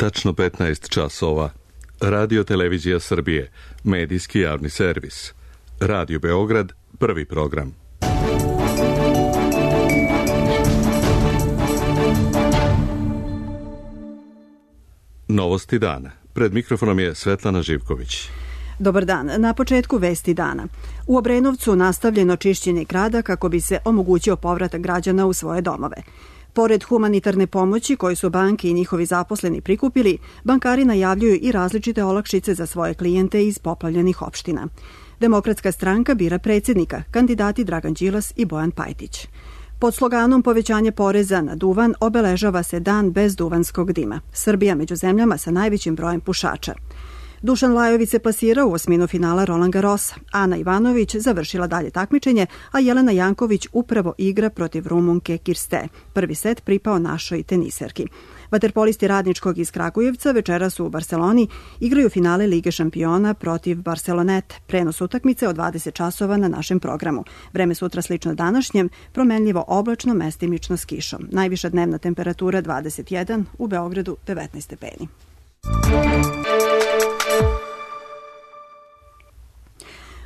Tačno 15 časova. Radio Televizija Srbije, medijski javni servis. Radio Beograd, prvi program. Novosti dana. Pred mikrofonom je Svetlana Živković. Dobar dan. Na početku vesti dana. U Obrenovcu nastavljeno čišćenje grada kako bi se omogućio povratak građana u svoje domove. Pored humanitarne pomoći koju su banke i njihovi zaposleni prikupili, bankari najavljuju i različite olakšice za svoje klijente iz poplavljenih opština. Demokratska stranka bira predsjednika, kandidati Dragan Đilas i Bojan Pajtić. Pod sloganom povećanje poreza na duvan obeležava se dan bez duvanskog dima. Srbija među zemljama sa najvećim brojem pušača. Dušan Lajović se plasirao u osminu finala Roland Garrosa. Ana Ivanović završila dalje takmičenje, a Jelena Janković upravo igra protiv Rumunke Kirste. Prvi set pripao našoj teniserki. Vaterpolisti Radničkog iz Kragujevca večeras u Barseloni igraju finale Lige šampiona protiv Barcelonete. Prenos utakmice od 20 časova na našem programu. Vreme sutra slično današnjem, promenljivo oblačno, mestimično s kišom. Najviša dnevna temperatura 21, u Beogradu 19 stepeni.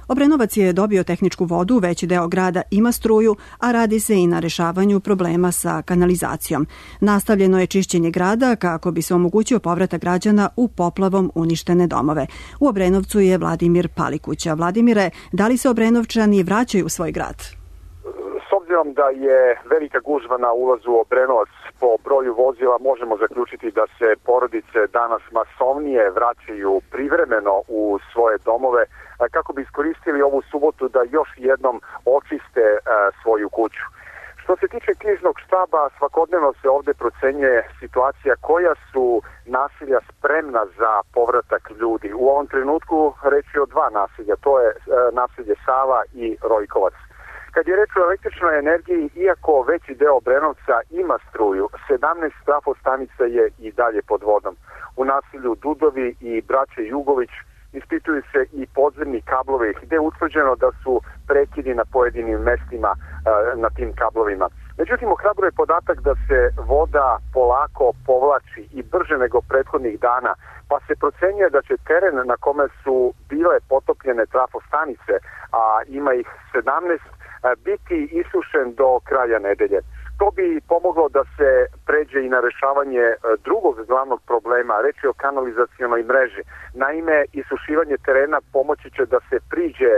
Obrenovac je dobio tehničku vodu, veći deo grada ima struju, a radi se i na rešavanju problema sa kanalizacijom. Nastavljeno je čišćenje grada kako bi se omogućio povratak građana u poplavom uništene domove. U Obrenovcu je Vladimir Palikuća. Vladimire, da li se Obrenovčani vraćaju u svoj grad? S obzirom da je velika gužva na ulazu u Obrenovac po broju vozila, možemo zaključiti da se porodice danas masovnije vraćaju privremeno u svoje domove kako bi iskoristili ovu subotu da još jednom očiste svoju kuću. Što se tiče kriznog štaba, svakodnevno se ovdje procenjuje situacija koja su naselja spremna za povratak ljudi. U ovom trenutku reč je o dva naselja, to je naselje Sava i Rojkovac. Kad je reč o električnoj energiji, iako veći deo Obrenovca ima struju, 17 trafostanica je i dalje pod vodom. U naselju Dudovi i braće Jugović ispituju se i podzemni kablovi gde je utvrđeno da su prekidi na pojedinim mestima na tim kablovima. Međutim, ohrabruje podatak da se voda polako povlači i brže nego prethodnih dana, pa se procenjuje da će teren na kome su bile potopljene trafostanice, a ima ih 17, biti isušen do kraja nedelje. To bi pomoglo da se pređe i na rešavanje drugog glavnog problema, reč je o kanalizacionoj mreži. Naime, isušivanje terena pomoći će da se priđe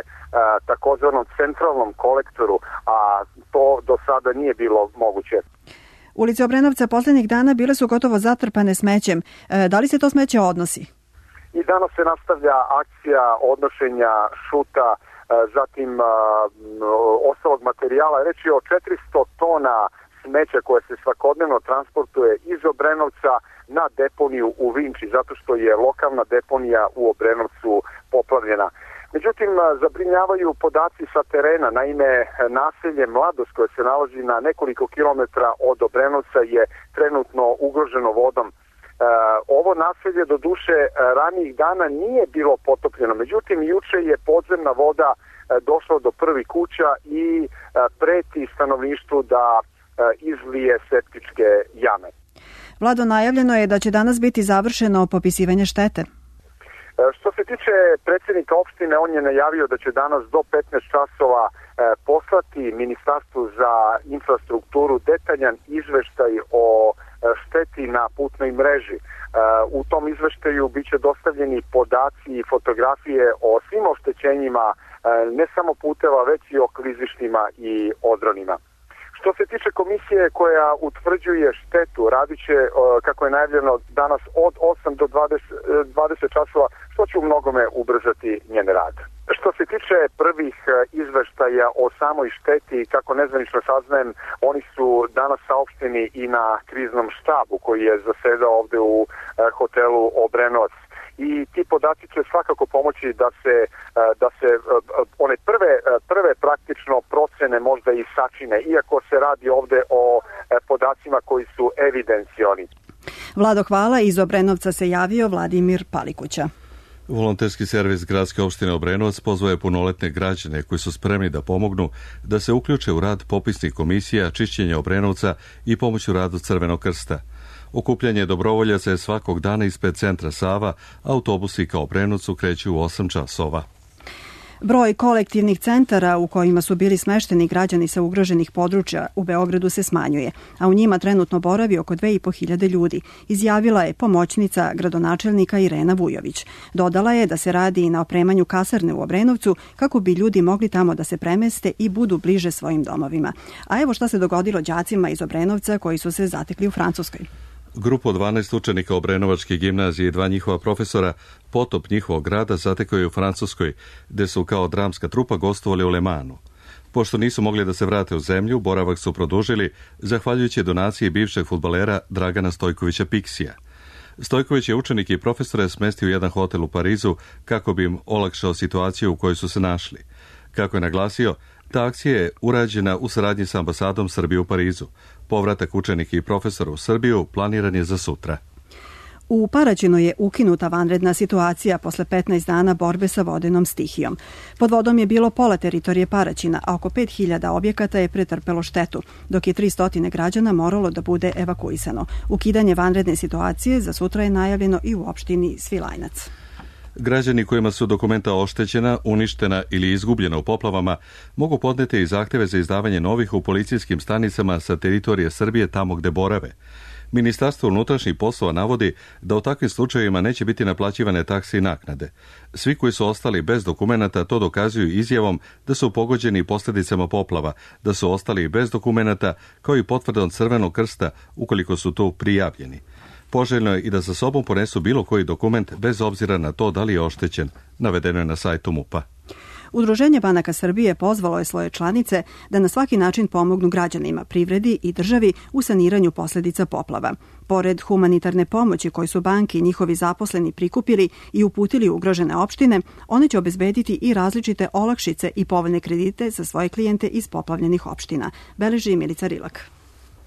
takozvanom centralnom kolektoru, a to do sada nije bilo moguće. Ulice Obrenovca poslednjih dana bile su gotovo zatrpane smećem. Da li se to smeće odnosi? I danas se nastavlja akcija odnošenja šuta, zatim ostalog materijala. Reč je o 400 tona smeća koje se svakodnevno transportuje iz Obrenovca na deponiju u Vinči, zato što je lokalna deponija u Obrenovcu poplavljena. Međutim, zabrinjavaju podaci sa terena. Naime, naselje Mladost koje se nalazi na nekoliko kilometra od Obrenovca je trenutno ugroženo vodom. Ovo naselje do duše ranijih dana nije bilo potopljeno, međutim juče je podzemna voda došla do prvih kuća i preti stanovništvu da izlije septičke jame. Vlado, najavljeno je da će danas biti završeno popisivanje štete. Što se tiče predsjednika opštine, on je najavio da će danas do 15 časova poslati Ministarstvu za infrastrukturu detaljan izveštaj o šteti na putnoj mreži. U tom izveštaju biće dostavljeni podaci i fotografije o svim oštećenjima, ne samo puteva, već i o klizištima i odronima. Što se tiče komisije koja utvrđuje štetu, radit će, kako je najavljeno, danas od 8 do 20 časova, što će u mnogome ubrzati njen rad. Što se tiče prvih izveštaja o samoj šteti, kako nezvanično saznajem, oni su danas saopšteni i na kriznom štabu koji je zasedao ovde u hotelu Obrenovac. I ti podaci će svakako pomoći da se one prve praktično procene možda i sačine, iako se radi ovde o podacima koji su evidencioni. Vlado, hvala. Iz Obrenovca se javio Vladimir Palikuća. Volonterski servis Gradske opštine Obrenovac pozvao je punoletne građane koji su spremni da pomognu da se uključe u rad popisnih komisija, čišćenja Obrenovca i pomoć u radu Crvenog krsta. Okupljanje dobrovoljaca je svakog dana ispred centra Sava, autobusi ka Obrenovcu kreću u 8 časova. Broj kolektivnih centara u kojima su bili smešteni građani sa ugroženih područja u Beogradu se smanjuje, a u njima trenutno boravi oko 2.500 ljudi, izjavila je pomoćnica gradonačelnika Irena Vujović. Dodala je da se radi i na opremanju kasarne u Obrenovcu kako bi ljudi mogli tamo da se premeste i budu bliže svojim domovima. A evo šta se dogodilo đacima iz Obrenovca koji su se zatekli u Francuskoj. Grupu od 12 učenika Obrenovačke gimnazije i 2 njihova profesora potop njihovog grada zatekao je u Francuskoj, gde su kao dramska trupa gostovali u Le Mansu. Pošto nisu mogli da se vrate u zemlju, boravak su produžili zahvaljujući donaciji bivšeg fudbalera Dragana Stojkovića Piksija. Stojković je učenike i profesore smestio u jedan hotel u Parizu kako bi im olakšao situaciju u kojoj su se našli. Kako je naglasio, ta akcija je urađena u saradnji sa ambasadom Srbije u Parizu. Povratak učenika i profesora u Srbiju planiran je za sutra. U Paraćinu je ukinuta vanredna situacija posle 15 dana borbe sa vodenom stihijom. Pod vodom je bilo pola teritorije Paraćina, a oko 5.000 objekata je pretrpelo štetu, dok je 300 građana moralo da bude evakuisano. Ukidanje vanredne situacije za sutra je najavljeno i u opštini Svilajnac. Građani kojima su dokumenta oštećena, uništena ili izgubljena u poplavama mogu podneti i zahteve za izdavanje novih u policijskim stanicama sa teritorije Srbije tamo gde borave. Ministarstvo unutrašnjih poslova navodi da u takvim slučajevima neće biti naplaćivane takse i naknade. Svi koji su ostali bez dokumenata to dokazuju izjavom da su pogođeni posljedicama poplava, da su ostali bez dokumenata, kao i potvrdom Crvenog krsta ukoliko su tu prijavljeni. Poželjno je i da sa sobom ponesu bilo koji dokument bez obzira na to da li je oštećen, navedeno je na sajtu MUP-a. Udruženje banaka Srbije pozvalo je svoje članice da na svaki način pomognu građanima, privredi i državi u saniranju posljedica poplava. Pored humanitarne pomoći koju su banke i njihovi zaposleni prikupili i uputili u ugrožene opštine, one će obezbediti i različite olakšice i povoljne kredite za svoje klijente iz poplavljenih opština, beleži Milica Rilak.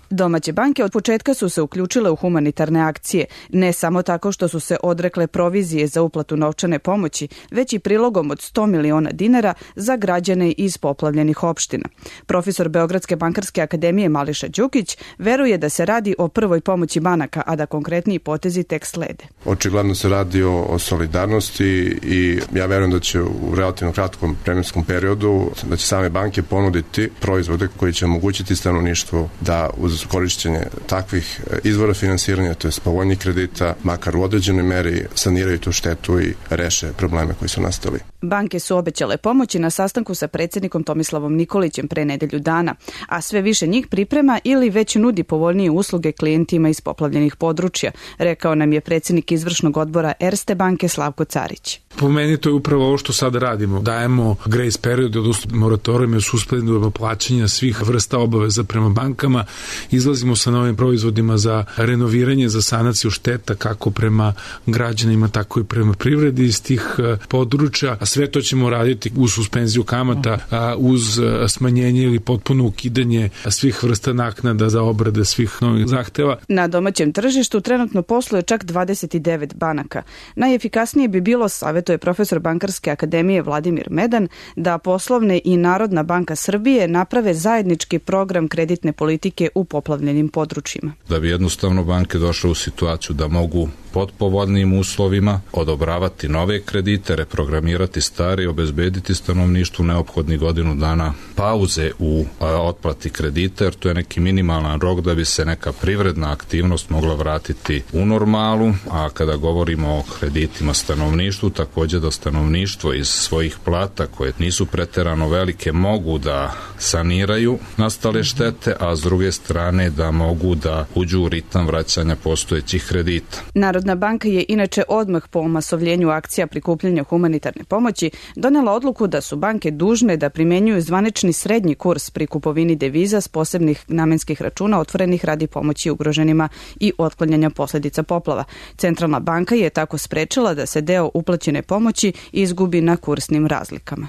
Domaće banke od početka su se uključile u humanitarne akcije, ne samo tako što su se odrekle provizije za uplatu novčane pomoći, već i prilogom od 100 miliona dinara za građane iz poplavljenih opština. Profesor Beogradske bankarske akademije Mališa Đukić veruje da se radi o prvoj pomoći banaka, a da konkretniji potezi tek slede. Očigledno se radi o solidarnosti i ja verujem da će u relativno kratkom vremenskom periodu da će same banke ponuditi proizvode koji će omogućiti stanovništvu da uz korišćenje takvih izvora finansiranja, to je povoljnih kredita, makar u određenoj meri saniraju tu štetu i reše probleme koji su nastali. Banke su obećale pomoći na sastanku sa predsjednikom Tomislavom Nikolićem pre nedelju dana, a sve više njih priprema ili već nudi povoljnije usluge klijentima iz poplavljenih područja, rekao nam je predsjednik izvršnog odbora Erste banke Slavko Carić. Po meni to je upravo ovo što sad radimo. Dajemo grace period, odnosno moratorijume, suspendujemo plaćanja svih vrsta obaveza prema bankama, izlazimo sa novim proizvodima za renoviranje, za sanaciju šteta kako prema građanima, tako i prema privredi iz tih područja, a sve to ćemo raditi uz suspenziju kamata, uz smanjenje ili potpuno ukidanje svih vrsta naknada za obrade svih novih zahteva. Na domaćem tržištu trenutno posluje čak 29 banaka. Najefikasnije bi bilo, savjetuje profesor Bankarske akademije Vladimir Medan, da Poslovne i Narodna banka Srbije naprave zajednički program kreditne politike u poplavljenim područjima. Da bi jednostavno banke došle u situaciju da mogu pod povoljnim uslovima odobravati nove kredite, reprogramirati stare i obezbediti stanovništvu neophodnih godinu dana pauze u otplati kredita, jer to je neki minimalan rok da bi se neka privredna aktivnost mogla vratiti u normalu, a kada govorimo o kreditima stanovništvu, također da stanovništvo iz svojih plata koje nisu preterano velike mogu da saniraju nastale štete, a s druge strane da mogu da uđu u ritam vraćanja postojećih kredita. Narodna banka je inače odmah po omasovljenju akcija prikupljanja humanitarne pomoći donela odluku da su banke dužne da primenjuju zvanični srednji kurs pri kupovini deviza s posebnih namenskih računa otvorenih radi pomoći ugroženima i otklanjanja posljedica poplava. Centralna banka je tako sprečila da se deo uplaćene pomoći izgubi na kursnim razlikama.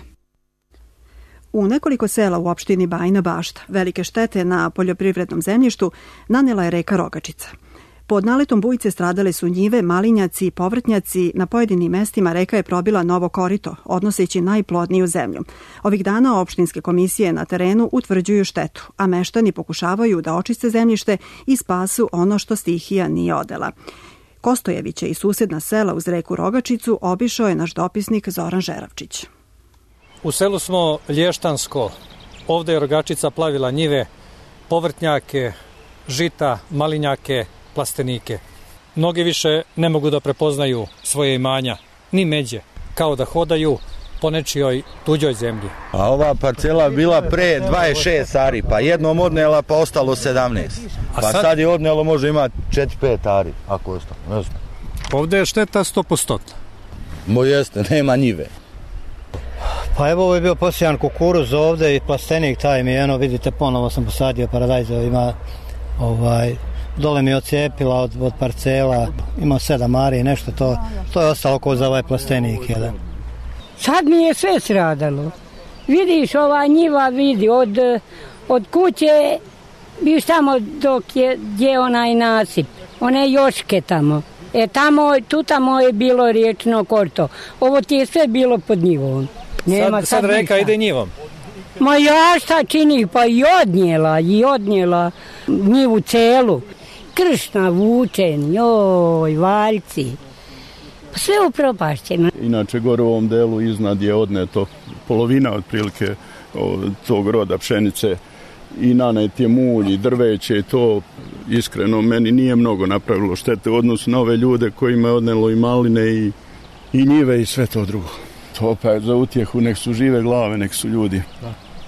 U nekoliko sela u opštini Bajina Bašta velike štete na poljoprivrednom zemljištu nanela je reka Rogačica. Pod naletom bujice stradale su njive, malinjaci i povrtnjaci. Na pojedinim mestima reka je probila novo korito, odnoseći najplodniju zemlju. Ovih dana opštinske komisije na terenu utvrđuju štetu, a meštani pokušavaju da očiste zemljište i spasu ono što stihija nije odela. Kostojevića i susedna sela uz reku Rogačicu obišao je naš dopisnik Zoran Žeravčić. U selu smo Lještansko. Ovde je Rogačica plavila njive, povrtnjake, žita, malinjake, plastenike. Mnogi više ne mogu da prepoznaju svoje imanja, ni međe, kao da hodaju po nečijoj tuđoj zemlji. A ova parcela bila pre 26 ari, pa jednom odnela pa ostalo 17. Pa sad je odnelo, može imati 4-5 ari, ako ostalo, ne znam. Ovde je šteta 100%. Jeste, nema njive. Pa evo, ovo je bio posijan kukuruz ovde i plastenik taj mi je, vidite, ponovo sam posadio paradajza, ima dole mi je ocijepila od parcela, ima 7 ari i nešto, to je ostalo ko za ovaj plastenik jedan. Sad mi je sve sradalo. Vidiš, ova njiva vidi, od kuće, viš tamo gdje onaj nasip, one joške tamo. Tu tamo je bilo riječno korto. Ovo ti je sve bilo pod njivom. Sad reka ide njivom. Ma ja šta čini, pa i odnijela njivu celu. Kršna vučen, valjci. Pa sve upropašćeno. Inače, gore u ovom delu iznad je odneto polovina otprilike tog roda pšenice i nanet je mulj i drveće. To iskreno meni nije mnogo napravilo štete u odnosu na ove ljude kojima je odnelo i maline i njive i sve to drugo. To pa je za utjehu, nek su žive glave, nek su ljudi.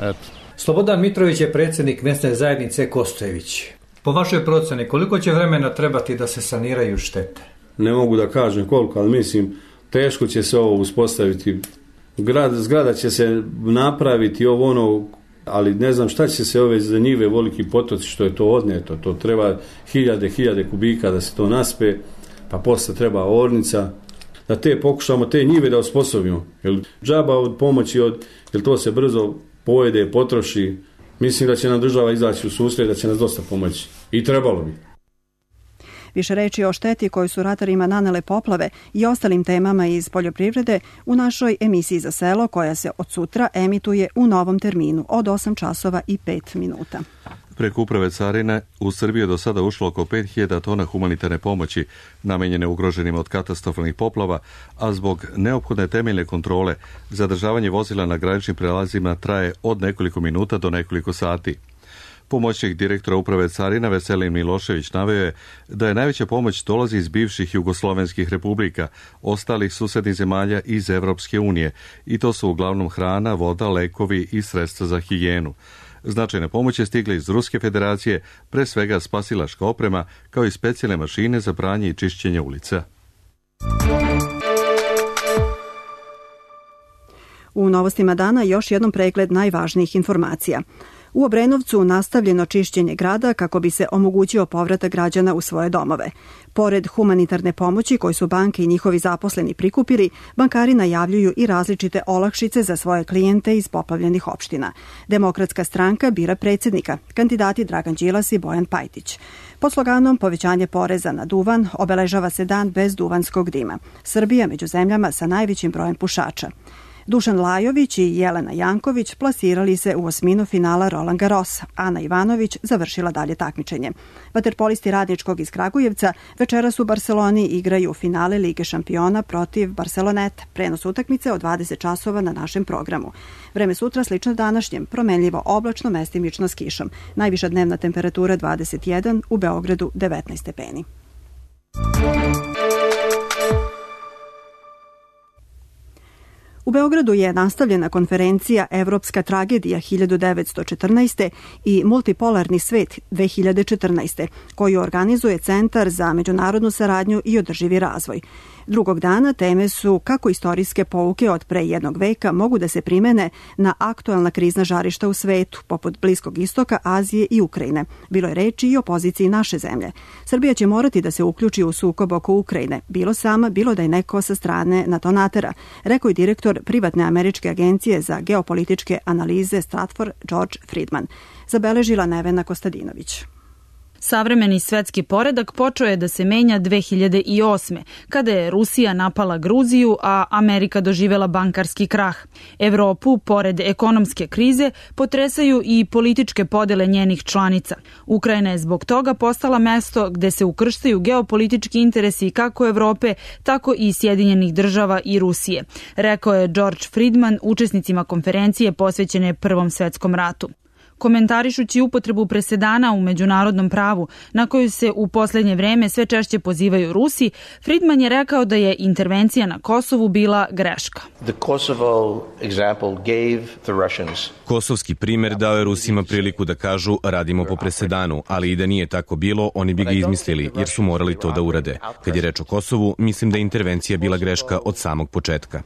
Eto. Slobodan Mitrović je predsjednik mesne zajednice Kostojević. Po vašoj procjeni, koliko će vremena trebati da se saniraju štete? Ne mogu da kažem koliko, ali mislim, teško će se ovo uspostaviti. Zgrada će se napraviti ali ne znam šta će se ove za njive, veliki potoci, što je to odneto. To treba hiljade kubika da se to naspe, pa posle treba ornica, da pokušamo te njive da osposobimo. Jer džaba od pomoći, jer to se brzo pojede, potroši. Mislim da će nam država izaći u susret, da će nas dosta pomoći. I trebalo bi. Više reči o šteti koju su ratarima nanele poplave i ostalim temama iz poljoprivrede u našoj emisiji za selo, koja se od sutra emituje u novom terminu od 8 časova i 5 minuta. Preko uprave carine u Srbiji je do sada ušlo oko 5000 tona humanitarne pomoći namenjene ugroženima od katastrofalnih poplava, a zbog neophodne temeljne kontrole zadržavanje vozila na graničnim prelazima traje od nekoliko minuta do nekoliko sati. Pomoćnik direktora uprave carina Veselin Milošević naveo je da je najveća pomoć dolazi iz bivših jugoslovenskih republika, ostalih susednih zemalja iz Evropske unije, i to su uglavnom hrana, voda, lekovi i sredstva za higijenu. Značajne pomoći stigle iz Ruske federacije, pre svega spasilačka oprema, kao i specijalne mašine za pranje i čišćenje ulica. U novostima dana još jednom pregled najvažnijih informacija. U Obrenovcu nastavljeno čišćenje grada kako bi se omogućio povratak građana u svoje domove. Pored humanitarne pomoći koju su banke i njihovi zaposleni prikupili, bankari najavljuju i različite olakšice za svoje klijente iz poplavljenih opština. Demokratska stranka bira predsjednika, kandidati Dragan Đilas i Bojan Pajtić. Pod sloganom povećanje poreza na duvan obeležava se dan bez duvanskog dima. Srbija među zemljama sa najvećim brojem pušača. Dušan Lajović i Jelena Janković plasirali se u osminu finala Roland Garrosa. Ana Ivanović završila dalje takmičenje. Vaterpolisti Radničkog iz Kragujevca večeras u Barseloni igraju finale Lige šampiona protiv Barceloneta. Prenos utakmice od 20 časova na našem programu. Vreme sutra slično današnjem, promenljivo oblačno, mestimično s kišom. Najviša dnevna temperatura 21, u Beogradu 19 stepeni. U Beogradu je nastavljena konferencija Evropska tragedija 1914. i Multipolarni svet 2014. koju organizuje Centar za međunarodnu saradnju i održivi razvoj. Drugog dana teme su kako istorijske pouke od pre jednog veka mogu da se primene na aktuelna krizna žarišta u svetu, poput Bliskog istoka, Azije i Ukrajine. Bilo je reči i o poziciji naše zemlje. Srbija će morati da se uključi u sukob oko Ukrajine, bilo sama, bilo da je neko sa strane NATO natera, rekao je direktor privatne američke agencije za geopolitičke analize Stratfor George Friedman. Zabeležila Nevena Kostadinović. Savremeni svetski poredak počeo je da se menja 2008. kada je Rusija napala Gruziju, a Amerika doživela bankarski krah. Evropu, pored ekonomske krize, potresaju i političke podele njenih članica. Ukrajina je zbog toga postala mesto gde se ukrštaju geopolitički interesi kako Evrope, tako i Sjedinjenih država i Rusije, rekao je George Friedman učesnicima konferencije posvećene Prvom svetskom ratu. Komentarišući upotrebu presedana u međunarodnom pravu, na koju se u poslednje vreme sve češće pozivaju Rusi, Friedman je rekao da je intervencija na Kosovu bila greška. Kosovski primer dao je Rusima priliku da kažu radimo po presedanu, ali i da nije tako bilo, oni bi ga izmislili, jer su morali to da urade. Kad je reč o Kosovu, mislim da je intervencija bila greška od samog početka.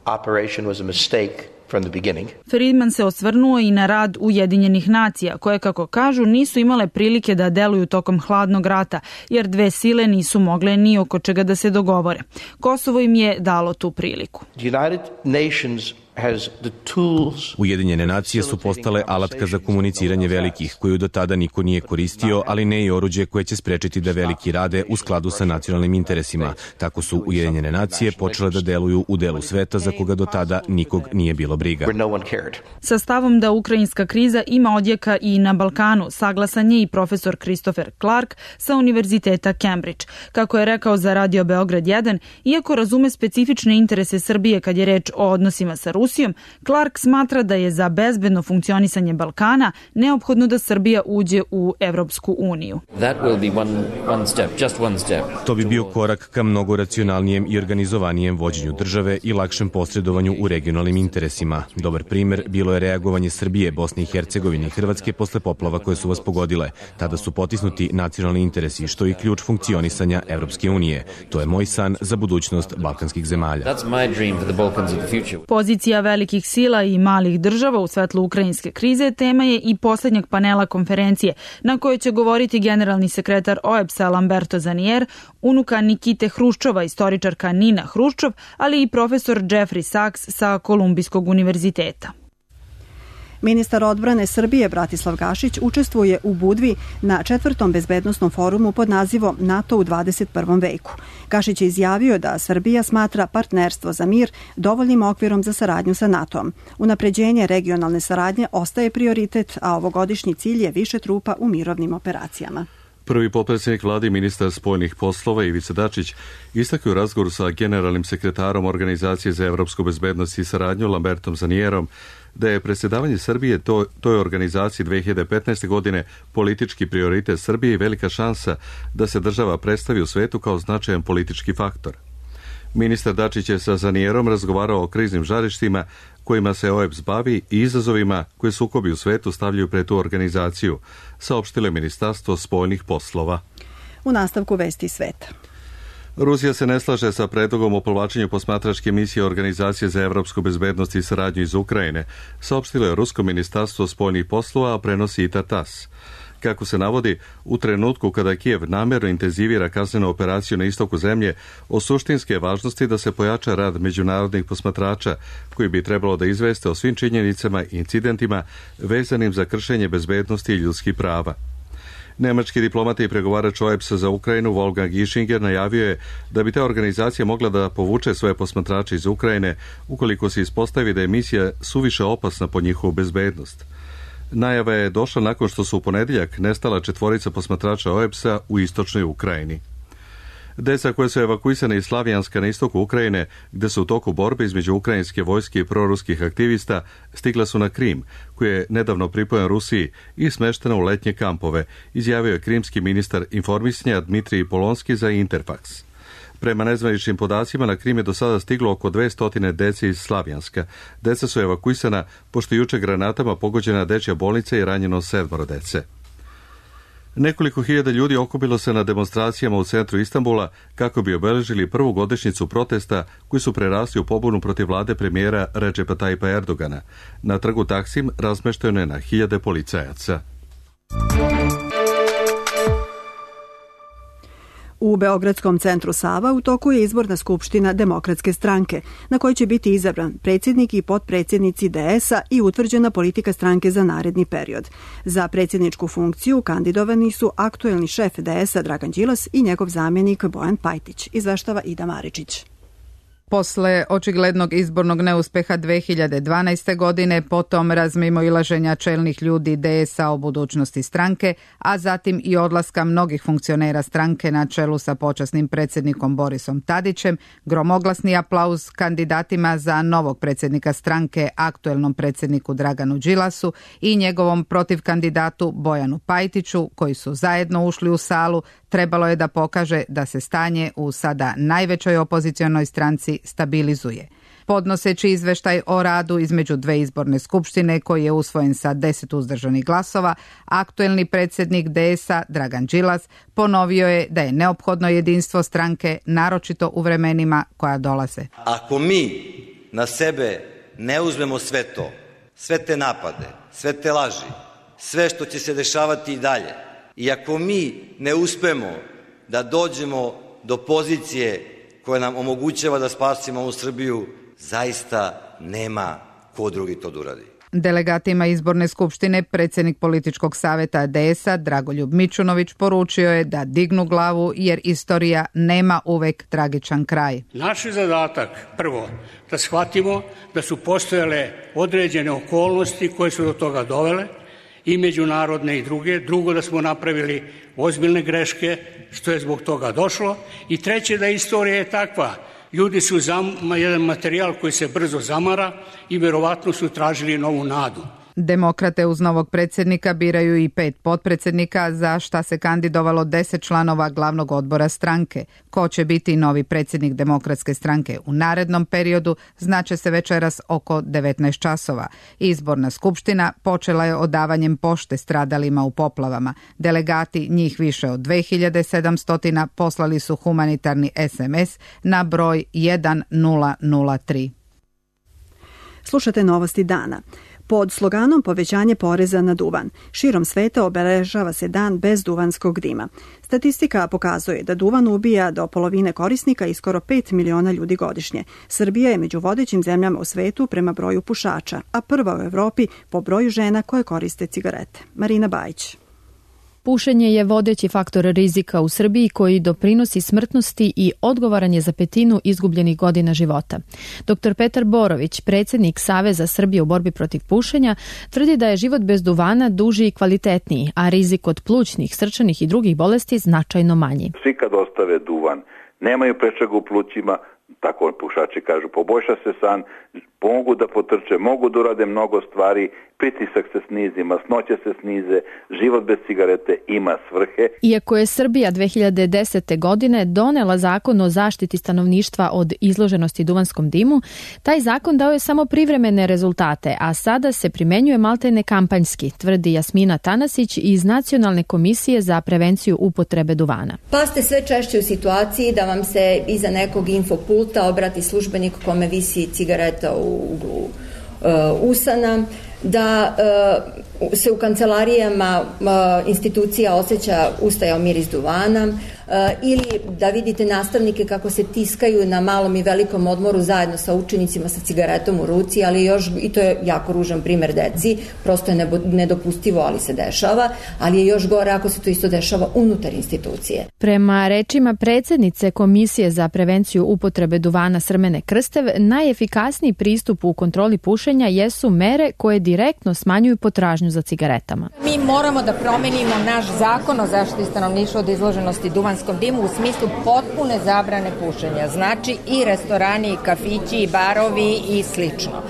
Friedman se osvrnuo i na rad Ujedinjenih nacija, koje, kako kažu, nisu imale prilike da deluju tokom hladnog rata, jer dve sile nisu mogle ni oko čega da se dogovore. Kosovo im je dalo tu priliku. Ujedinjene nacije su postale alatka za komuniciranje velikih, koju do tada niko nije koristio, ali ne i oruđe koje će sprečiti da veliki rade u skladu sa nacionalnim interesima. Tako su Ujedinjene nacije počele da deluju u delu sveta za koga do tada nikog nije bilo briga. Sa stavom da ukrajinska kriza ima odjeka i na Balkanu, saglasan je i profesor Christopher Clark sa Univerziteta Cambridge. Kako je rekao za Radio Beograd 1, iako razume specifične interese Srbije kad je reč o odnosima sa Rusijom, Clark smatra da je za bezbedno funkcionisanje Balkana neophodno da Srbija uđe u Evropsku uniju. To bi bio korak ka mnogo racionalnijem i organizovanijem vođenju države i lakšem posredovanju u regionalnim interesima. Dobar primer bilo je reagovanje Srbije, Bosne i Hercegovine i Hrvatske posle poplava koje su vas pogodile. Tada su potisnuti nacionalni interesi, što je ključ funkcionisanja Evropske unije. To je moj san za budućnost balkanskih zemalja. Pozicija velikih sila i malih država u svetlu ukrajinske krize tema je i poslednjeg panela konferencije, na kojoj će govoriti generalni sekretar OEBS-a Lamberto Zanier, unuka Nikite Hruščova, istoričarka Nina Hruščov, ali i profesor Jeffrey Sachs sa Kolumbijskog univerziteta. Ministar odbrane Srbije Bratislav Gašić učestvuje u Budvi na 4. bezbednosnom forumu pod nazivom NATO u 21. veku. Gašić je izjavio da Srbija smatra partnerstvo za mir dovoljnim okvirom za saradnju sa NATO-om. Unapređenje regionalne saradnje ostaje prioritet, a ovogodišnji cilj je više trupa u mirovnim operacijama. Prvi potpredsjednik vlade i ministar spoljnih poslova Ivica Dačić istakao u razgovoru sa generalnim sekretarom Organizacije za evropsku bezbednost i saradnju Lambertom Zanierom da je predsjedavanje Srbije toj organizaciji 2015. godine politički prioritet Srbije i velika šansa da se država predstavi u svetu kao značajan politički faktor. Ministar Dačić je sa Zanierom razgovarao o kriznim žarištima kojima se OEBS bavi i izazovima koje sukobi u svetu stavljaju pred tu organizaciju, saopštilo je Ministarstvo spoljnih poslova. U nastavku vesti sveta. Rusija se ne slaže sa predlogom o povlačenju posmatračke misije Organizacije za evropsku bezbednost i saradnju iz Ukrajine, saopštilo je Rusko ministarstvo spoljnih poslova, a prenosi i TASS. Kako se navodi, u trenutku kada Kijev namerno intenzivira kaznenu operaciju na istoku zemlje, o suštinske važnosti da se pojača rad međunarodnih posmatrača, koji bi trebalo da izveste o svim činjenicama i incidentima vezanim za kršenje bezbednosti i ljudskih prava. Nemački diplomata i pregovarač OEBS-a za Ukrajinu Wolfgang Ischinger najavio je da bi ta organizacija mogla da povuče svoje posmatrače iz Ukrajine ukoliko se ispostavi da je misija suviše opasna po njihovu bezbednost. Najava je došla nakon što su u ponedjeljak nestala 4 posmatrača OEBS-a u istočnoj Ukrajini. Deca koja su evakuisane iz Slavijanska na istoku Ukrajine, gde su u toku borbe između ukrajinske vojske i proruskih aktivista, stigla su na Krim, koji je nedavno pripojen Rusiji i smeštena u letnje kampove, izjavio je krimski ministar informisanja Dmitrij Polonski za Interfax. Prema nezvaničnim podacima, na Krim je do sada stiglo oko 200 dece iz Slavijanska. Deca su evakuisana pošto juče granatama pogođena dečja bolnica i ranjeno 7 dece. Nekoliko hiljada ljudi okupilo se na demonstracijama u centru Istanbula kako bi obeležili prvu godišnjicu protesta koji su prerasli u pobunu protiv vlade premijera Recepa Tayyipa Erdogana. Na trgu Taksim razmešteno je na hiljade policajaca. U Beogradskom centru Sava u toku je izborna skupština Demokratske stranke, na kojoj će biti izabran predsjednik i potpredsjednici DS-a i utvrđena politika stranke za naredni period. Za predsjedničku funkciju kandidovani su aktuelni šef DS-a Dragan Đilas i njegov zamjenik Bojan Pajtić, izveštava Ida Maričić. Posle očiglednog izbornog neuspeha 2012. godine, potom razmimoilaženja čelnih ljudi DS-a o budućnosti stranke, a zatim i odlaska mnogih funkcionera stranke na čelu sa počasnim predsjednikom Borisom Tadićem, gromoglasni aplauz kandidatima za novog predsjednika stranke, aktuelnom predsjedniku Draganu Đilasu i njegovom protivkandidatu Bojanu Pajtiću, koji su zajedno ušli u salu, trebalo je da pokaže da se stanje u sada najvećoj opozicionoj stranci stabilizuje. Podnoseći izveštaj o radu između dve izborne skupštine koji je usvojen sa 10 uzdržanih glasova, aktuelni predsjednik DS-a Dragan Đilas ponovio je da je neophodno jedinstvo stranke, naročito u vremenima koja dolaze. Ako mi na sebe ne uzmemo sve to, sve te napade, sve te laži, sve što će se dešavati i dalje, i ako mi ne uspemo da dođemo do pozicije koja nam omogućava da spasimo ovu Srbiju, zaista nema ko drugi to da uradi. Delegatima izborne skupštine predsjednik političkog savjeta DS-a Dragoljub Mićunović poručio je da dignu glavu jer istorija nema uvek tragičan kraj. Naš je zadatak prvo da shvatimo da su postojale određene okolnosti koje su do toga dovele, i međunarodne i druge. Drugo, da smo napravili ozbiljne greške, što je zbog toga došlo. I treće, da istorija je takva. Ljudi su jedan materijal koji se brzo zamara i verovatno su tražili novu nadu. Demokrate uz novog predsjednika biraju i 5 potpredsjednika, za šta se kandidovalo 10 članova glavnog odbora stranke. Ko će biti novi predsjednik Demokratske stranke u narednom periodu, znaće se večeras oko 19 časova. Izborna skupština počela je odavanjem pošte stradalima u poplavama. Delegati, njih više od 2700, poslali su humanitarni SMS na broj 1003. Slušate novosti dana. Pod sloganom povećanje poreza na duvan, širom sveta obeležava se dan bez duvanskog dima. Statistika pokazuje da duvan ubija do polovine korisnika i skoro 5 miliona ljudi godišnje. Srbija je među vodećim zemljama u svetu prema broju pušača, a prva u Evropi po broju žena koje koriste cigarete. Marina Bajić. Pušenje je vodeći faktor rizika u Srbiji koji doprinosi smrtnosti i odgovoran je za 1/5 izgubljenih godina života. Dr. Petar Borović, predsjednik Saveza Srbije u borbi protiv pušenja, tvrdi da je život bez duvana duži i kvalitetniji, a rizik od plućnih, srčanih i drugih bolesti značajno manji. Svi kad ostave duvan, nemaju prečaga u plućima, tako pušači kažu, poboljša se san, mogu da potrče, mogu da urade mnogo stvari, pritisak se snizi, masnoće se snize, život bez cigarete ima svrhe. Iako je Srbija 2010. godine donela zakon o zaštiti stanovništva od izloženosti duvanskom dimu, taj zakon dao je samo privremene rezultate, a sada se primenjuje maltene kampanjski, tvrdi Jasmina Tanasić iz Nacionalne komisije za prevenciju upotrebe duvana. Pa ste sve češće u situaciji da vam se iza nekog infopulta obrati službenik kome visi cigareta u uglu usana, da se u kancelarijama institucija osjeća ustajao miris duvana, ili da vidite nastavnike kako se tiskaju na malom i velikom odmoru zajedno sa učenicima sa cigaretom u ruci, ali još, i to je jako ružan primer deci, prosto je nedopustivo, ali se dešava, ali je još gore ako se to isto dešava unutar institucije. Prema rečima predsjednice Komisije za prevenciju upotrebe duvana Srmene Krstev, najefikasniji pristup u kontroli pušenja jesu mere koje direktno smanjuju potražnju za cigaretama. Mi moramo da promenimo naš zakon o zaštiti stanovništva od izloženosti duvanskom dimu u smislu potpune zabrane pušenja. Znači i restorani, i kafići, i barovi i slično.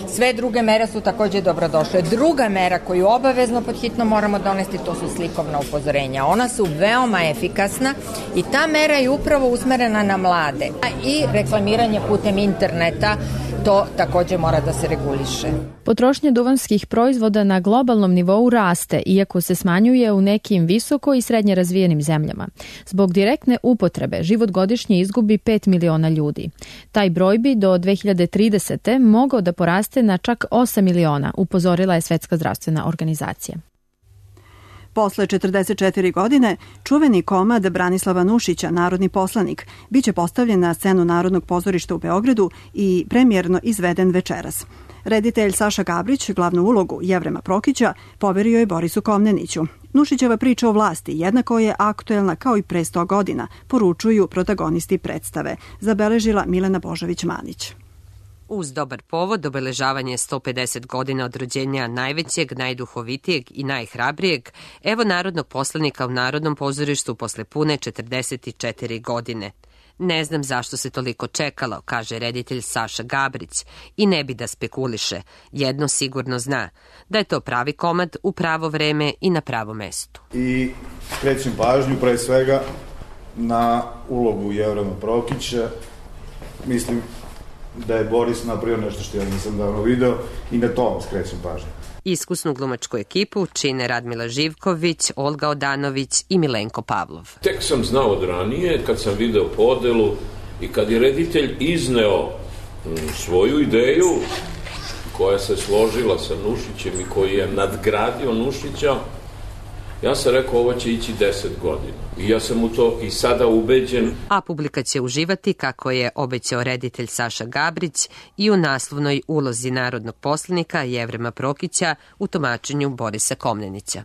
Sve druge mere su također dobrodošle. Druga mera koju obavezno pod hitno moramo donesti, to su slikovna upozorenja. Ona su veoma efikasna i ta mera je upravo usmerena na mlade. I reklamiranje putem interneta, to također mora da se reguliše. Potrošnja duvanskih proizvoda na globalnom nivou raste, iako se smanjuje u nekim visoko i srednje razvijenim zemljama. Zbog direktne upotrebe život godišnje izgubi 5 miliona ljudi. Taj broj bi do 2030. mogao da poraste na čak 8 miliona, upozorila je Svetska zdravstvena organizacija. Posle 44 godine, čuveni komad Branislava Nušića, narodni poslanik, biće postavljen na scenu Narodnog pozorišta u Beogradu i premijerno izveden večeras. Reditelj Saša Gabrić, glavnu ulogu Jevrema Prokića, poverio je Borisu Komneniću. Nušićeva priča o vlasti jednako je aktuelna kao i pre 100 godina, poručuju protagonisti predstave, zabeležila Milena Božović-Manić. Uz dobar povod, obeležavanje 150 godina od rođenja najvećeg, najduhovitijeg i najhrabrijeg, evo narodnog poslanika u Narodnom pozorištu posle pune 44 godine. Ne znam zašto se toliko čekalo, kaže reditelj Saša Gabrić, i ne bi da spekuliše. Jedno sigurno zna, da je to pravi komad u pravo vreme i na pravo mestu. I skrećem pažnju pre svega na ulogu Jevrema Prokića. Mislim da je Boris napravio nešto što ja nisam davno video i na to vam skrećem pažnju. Iskusnu glumačku ekipu čine Radmila Živković, Olga Odanović i Milenko Pavlov. Tek sam znao od ranije, kad sam video podelu i kad je reditelj izneo svoju ideju koja se složila sa Nušićem i koji je nadgradio Nušića, ja sam rekao ovo će ići 10 godina. I ja sam u to i sada ubeđen. A publika će uživati, kako je obećao reditelj Saša Gabrić, i u naslovnoj ulozi narodnog poslanika Jevrema Prokića u tumačenju Borisa Komnenića.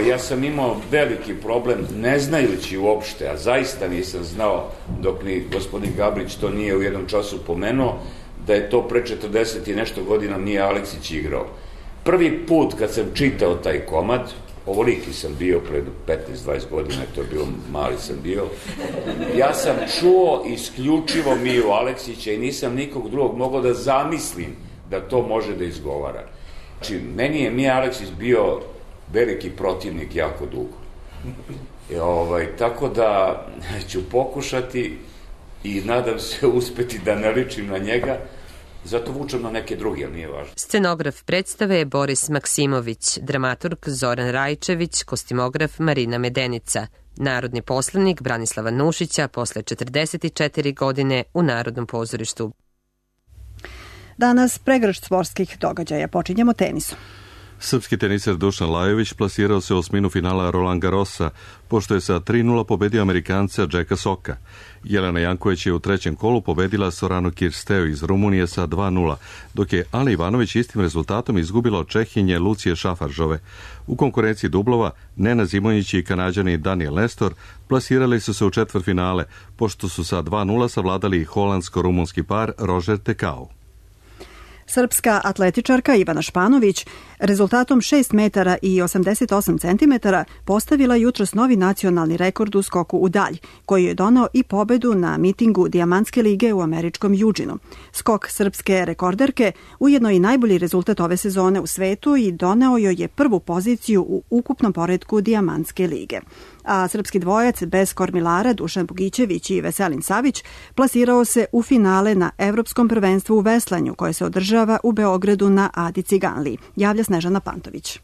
Ja sam imao veliki problem, ne znajući uopšte, a zaista nisam znao, dok ni gospodin Gabrić to nije u jednom času pomenuo, da je to pre 40 i nešto godina nije Aleksić igrao. Prvi put kad sam čitao taj komad, ovoliki sam bio pred 15-20 godina, to je bilo, mali sam bio. Ja sam čuo isključivo Miju Aleksića i nisam nikog drugog mogao da zamislim da to može da izgovara. Znači, meni je Mija Aleksić bio veliki protivnik jako dugo. Tako da ću pokušati i nadam se uspeti da ne ličim na njega. Zato vučem na neke druge, ali nije važno. Scenograf predstave je Boris Maksimović, dramaturg Zoran Rajčević, kostimograf Marina Medenica. Narodni poslanik Branislava Nušića posle 44 godine u Narodnom pozorištu. Danas pregršt sportskih događaja. Počinjemo tenisom. Srpski teniser Dušan Lajović plasirao se u osminu finala Roland Garrosa, pošto je sa 3-0 pobedio Amerikanca Jacka Socka. Jelena Janković je u trećem kolu pobedila Soranu Kirsteu iz Rumunije sa 2-0, dok je Ana Ivanović istim rezultatom izgubila od Čehinje Lucije Šafaržove. U konkurenciji dublova Nena Zimonjić i Kanađani Daniel Nestor plasirali su se u četvrtfinale, pošto su sa 2-0 savladali holandsko-rumunski par Roger Tekau. Srpska atletičarka Ivana Španović rezultatom 6 metara i 88 centimetara postavila jutros novi nacionalni rekord u skoku u dalj, koji je donao i pobedu na mitingu Dijamantske lige u američkom Eugenu. Skok srpske rekorderke ujedno i najbolji rezultat ove sezone u svetu i doneo joj je prvu poziciju u ukupnom poretku Dijamantske lige. A srpski dvojac bez kormilara Dušan Bogićević i Veselin Savić plasirao se u finale na Evropskom prvenstvu u veslanju koje se održava u Beogradu na Adi Ciganliji. Javlja Snežana Pantović.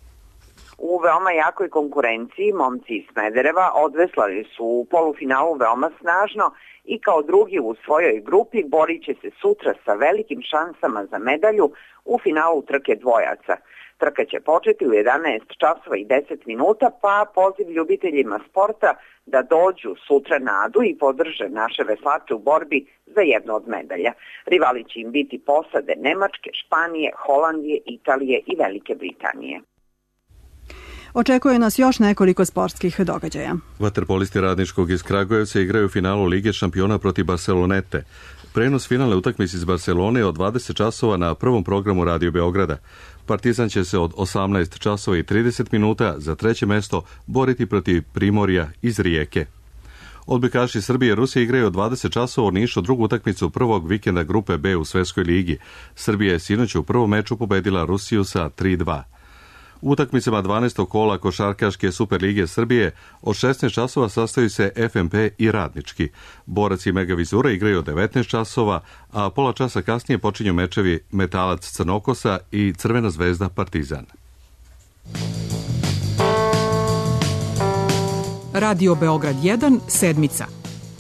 U veoma jakoj konkurenciji momci iz Smedereva odveslali su u polufinalu veoma snažno i kao drugi u svojoj grupi borit će se sutra sa velikim šansama za medalju u finalu trke dvojaca. Trka će početi u 11 časova i 10 minuta, pa poziv ljubiteljima sporta da dođu sutra na Adu i podrže naše veslače u borbi za jednu od medalja. Rivali će im biti posade Nemačke, Španije, Holandije, Italije i Velike Britanije. Očekuje nas još nekoliko sportskih događaja. Vaterpolisti Radničkog iz Kragujevca igraju u finalu Lige šampiona protiv Barcelonete. Prenos finalne utakmice iz Barcelone je od 20 časova na prvom programu Radio Beograda. Partizan će se od 18 časova i 30 minuta za treće mesto boriti protiv Primorja iz Rijeke. Odbojkaši Srbije i Rusije igraju od 20 časova u Nišu drugu utakmicu prvog vikenda grupe B u Svetskoj ligi. Srbija je sinoć u prvom meču pobedila Rusiju sa 3-2. U utakmicama 12. kola košarkaške Superlige Srbije od 16 časova sastaju se FNP i Radnički. Borac i Megavizura igraju od 19 časova, a pola časa kasnije počinju mečevi Metalac Crnokosa i Crvena zvezda Partizan. Radio Beograd 1, sedmica.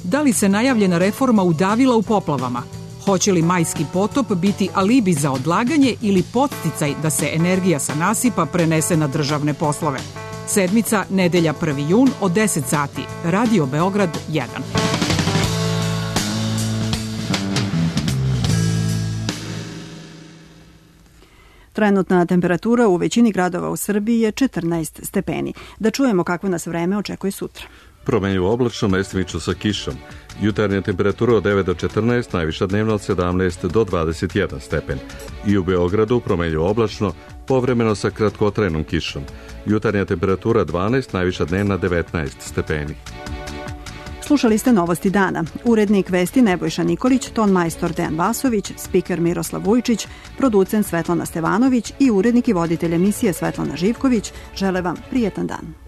Da li se najavljena reforma udavila u poplavama? Hoće li majski potop biti alibi za odlaganje ili podsticaj da se energija sa nasipa prenese na državne poslove? Sedmica, nedelja 1. jun od 10 sati. Radio Beograd 1. Trenutna temperatura u većini gradova u Srbiji je 14 stepeni. Da čujemo kako nas vreme očekuje sutra. Promenljivo oblačno, mestimično sa kišom. Jutarnja temperatura od 9 do 14, najviša dnevna od 17 do 21 stepen. I u Beogradu promenljivo oblačno, povremeno sa kratkotrajnom kišom. Jutarnja temperatura 12, najviša dnevna 19 stepeni. Slušali ste Novosti dana. Urednik vesti Nebojša Nikolić, ton majstor Dejan Vasović, spiker Miroslav Vujčić, producent Svetlana Stevanović i urednik i voditelj emisije Svetlana Živković žele vam prijetan dan.